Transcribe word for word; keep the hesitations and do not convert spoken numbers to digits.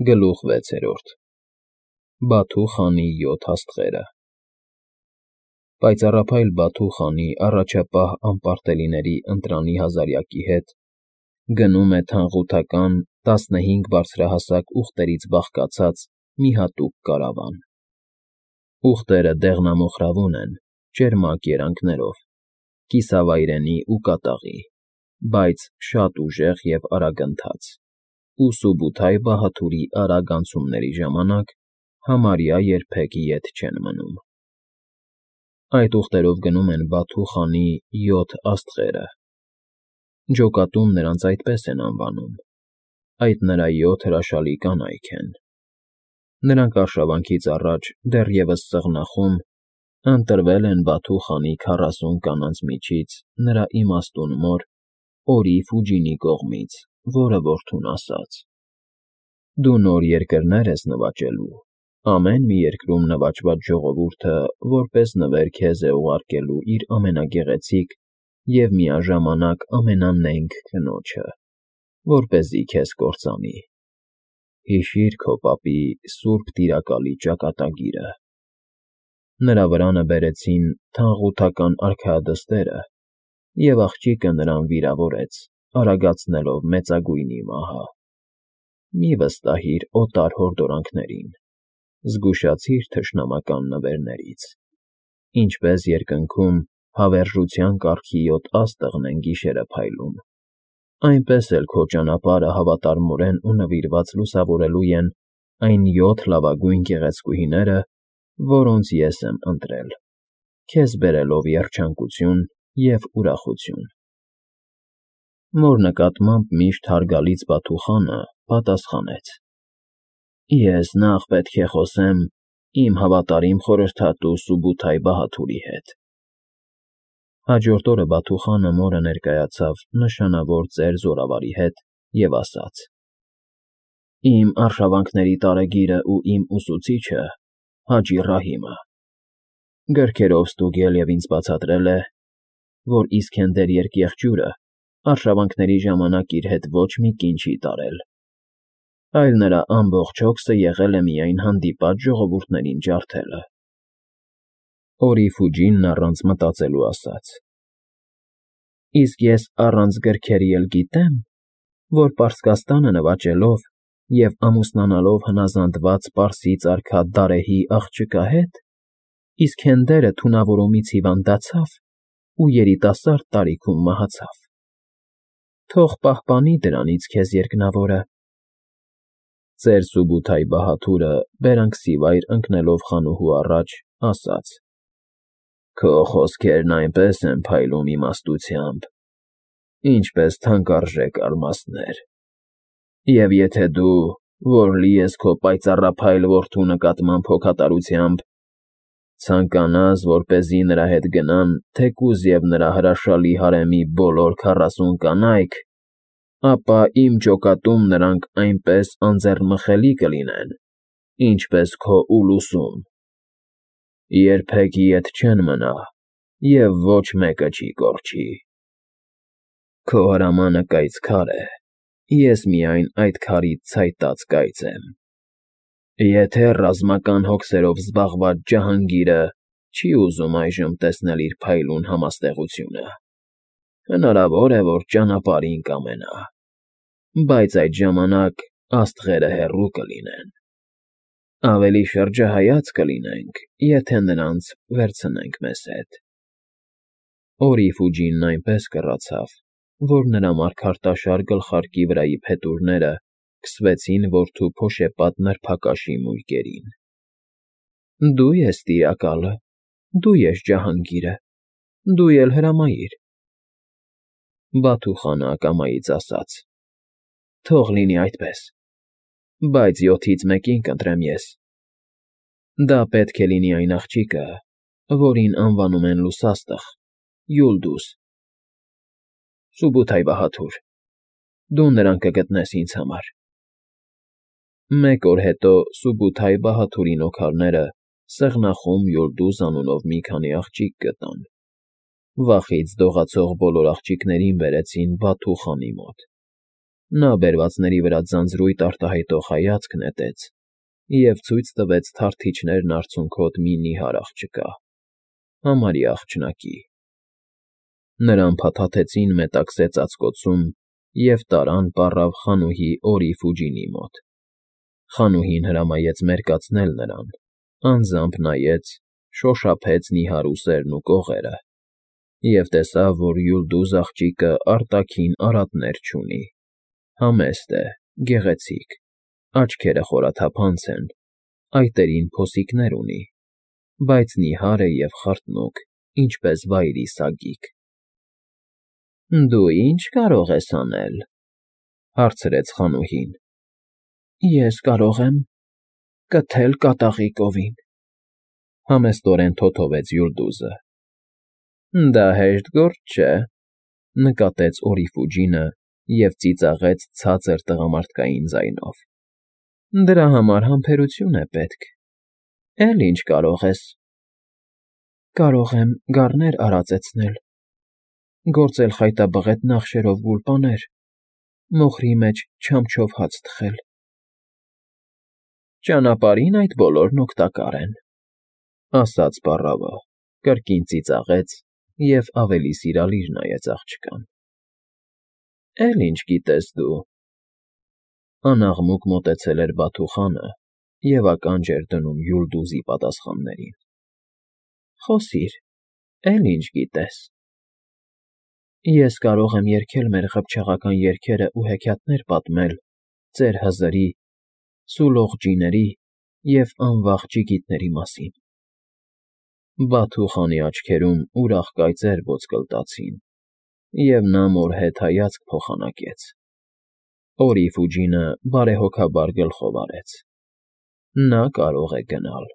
Գլուխ վեցերորդ Բաթու խանի յոթ աստղերը Պայծառափայլ Բաթու խանի առաջապահ անպարտելիների ընտրանի հազարյակի հետ գնում է թանղութական տասնհինգ բարձրահասակ ուղտերից բաղկացած մի հատուկ կարավան։ Ուղտերը դեղնամոխրավուն են, ճերմակ երանգներով, կիսավայրենի ու կատաղի, բայց շատ ուժեղ և արագընթաց, ու Սուբութայ Բահաթուրի արագ անցումների ժամանակ համարյա երբեք ետ չեն մնում։ Այդ ուղտերով գնում են Բաթու խանի յոթ աստղերը։ Ջոկատում նրանց այդպես են անվանում, այդ նրա յոթ հրաշալի կանայք են։ Նրանք արշավանքից առաջ դեռևս սղնախում ընտրվել են Բաթու խանի քառասուն կանանց միջից նրա իմաստուն մոր Օրի Ֆուջինի կողմից, որը որդուն ասաց. «Դու նոր երկրներ ես նվաճելու, ամեն մի երկրում նվաճված ժողովուրդը որպես նվեր քեզ է ուղարկելու իր ամենագեղեցիկ և միաժամանակ ամենանենգ կնոջը, որպեսզի քեզ կործանի։ Հիշի՛ր քո պապի սուրբ տիրակալի ճակատագիրը»։ Նրա վրանը բերեցին թանղութական արքայադստերը, և աղջիկը նրան վիրավորեց, արագացնելով մեծագույնի մահը։ Մի վստահիր օտար հորդորանքներին, զգուշացիր թշնամական նվերներից, ինչպես երկնքում հավերժության կարգի յոթ աստղն են գիշերը փայլում, այնպես էլ քո ճանապարհը հավատարմորեն ու նվիրված լուսավորելու են այն յոթ լավագույն գեղեցկուհիները, որոնց ես եմ ընտրել, քեզ բերելով երջանկություն և ուրախություն։ Մոր նկատմամբ միշտ հարգալից Բաթու խանը պատասխանեց. «Ես նախ պետք է խոսեմ իմ հավատարիմ խորհրդատու Սուբութայ Բահաթուրի հետ»։ Հաջորդ օրը Բաթու խանը մորը ներկայացավ նշանավոր ծեր զորավարի հետ և ասաց. «Իմ արշավանքների տարեգիրը ու իմ ուսուցիչը Հաջի Ռահիմը գրքերով ստուգել և ինձ բացատրել է, որ Իսքենդեր երկեղջյուրը արշավանքների ժամանակ իր հետ ոչ մի կին չի տարել, այլ նրա ամբողջ հոգսը եղել է միայն հանդիպած ժողովուրդներին ջարդելը»։ Օրի Ֆուջինն առանց մտածելու ասաց. «Իսկ ես առանց գրքերի էլ գիտեմ, որ Պարսկաստանը նվաճելով և ամուսնանալով հնազանդված պարսից արքա Դարեհի աղջկա հետ, Իսքենդերը թունավորումից հիվանդացավ ու երիտասարդ տարիքում մահացավ։ Թող պահպանի դրանից քեզ երկնավորը»։ Ծեր Սուբութայ Բահաթուրը բերանքսիվայր ընկնելով խանուհու առաջ, ասաց. «Քո խոսքերն այնպես են փայլում իմաստությամբ, ինչպես թանկարժեք ալմասներ, և եթե դու, որ լի ես քո պայծառափայլ որդու նկատմամբ հոգատարությամբ, ցանկանաս, որպեսզի նրա հետ գնան թեկուզ և նրա հրաշալի հարեմի բոլոր քառասուն կանայք, ապա իմ ջոկատում նրանք այնպես անձեռնմխելի կլինեն, ինչպես քո ուլուսում. երբեք ետ չեն մնա և ոչ մեկը չի կորչի։ Քո հրամանը կայծ քար է, ես միայն այդ քարից ցայտած կայծ եմ։ Եթե ռազմական հոգսերով զբաղված Ջահանգիրը չի ուզում այժմ տեսնել իր փայլուն համաստեղությունը, հնարավոր է, որ ճանապարհին կամենա, բայց այդ ժամանակ աստղերը հեռու կլինեն։ Ավելի շրջահայաց կլինենք, եթե նրանց վերցնենք մեզ հետ»։ Օրի Ֆուջինն այնպես կռացավ, որ նրա մարգարտաշար գլխարկի վրայի փետուրները քսվեցին որդու փոշեպատ նրբակաշի մույկերին։ «Դու ես տիրակալը, դու ես Ջահանգիրը, դու էլ հրամայիր»։ Բաթու խանը ակամայից ասաց. «Թող լինի այդպես, բայց յոթից մեկին կընտրեմ ես։ Դա պետք է լինի այն աղջիկը, որին անվանում են Լուսաստղ, Յուլդուս։ Սուբութայ Բահաթուր, դու նրան կգտնես ինձ համար»։ Մեկ օր հետո Սուբութայ Բահաթուրի նոքարները սեղնախում Յուլդուս անունով մի քանի աղջիկ գտան։ Վախից դողացող բոլոր աղջիկներին բերեցին Բաթու խանի մոտ։ Նա բերվածների վրա ձանձրույթ արտահայտող հայացք նետեց և ցույց տվեց թարթիչներն արցունքոտ մի նիհար աղջկա, համարյա աղջնակի։ Նրան փաթաթեցին մետաքսե ծածկոցում և տարան պառավ խանուհի Օրի Ֆուջինի մոտ։ Խանուհին հրամայեց մերկացնել նրան, անձամբ նայեց, շոշափեց նիհար ուսերն ու կողերը և տեսավ, որ Յուլդուզ աղջիկը արտաքին արատներ չունի, համեստ է, գեղեցիկ, աչքերը խորաթափանց են, այտերին փոսիկներ ունի, բայց նիհար է և խրտնուկ, ինչպես վայրի սագիկ։ ֊ Դու ի՞նչ կարող ես անել,֊ հարցրեց խանուհին։ ֊ Ես կարող եմ կթել կատաղի կովին,֊ համեստորեն թոթովեց Յուլդուզը։ ֊ Դա հեշտ գործ չէ,֊ նկատեց Օրի Ֆուջինը և ծիծաղեց ցածր տղամարդկային ձայնով։ ֊ Դրա համար համբերություն է պետք։ Էլ ի՞նչ կարող ես։ ֊ Կարող եմ գառներ արածեցնել, գործել խայտաբղետ նախշերով գուլպաներ, մոխրի մեջ չամչով հաց թխել։ ֊ Ճանապարհին այդ բոլորն օգտակար են,֊ ասաց պառավը, կրկին ծիծաղեց և ավելի սիրալիր նայեց աղջկան։ ֊ Էլ ի՞նչ գիտես դու,֊ անաղմուկ մոտեցել էր Բաթուխանը և ականջ էր դնում Յուլդուզի պատասխաններին։ ֊ Խոսիր, էլ ի՞նչ գիտես։ ֊ Ես կարող եմ երգել մեր ղփչաղական երգերն ու հեքիաթներ պատմել ծեր Հզրի, Սուլողջ ջիների և անվախ ջիգիտների մասին։ Բաթուխանի աչքերում ուրախ կայծեր ոսկլտացին, և նա մորհետ հայացք փոխանակեց։ Օրի Ֆուջինը բարեհոգաբար գլխով արեց. ֊ Նա կարող է գնալ։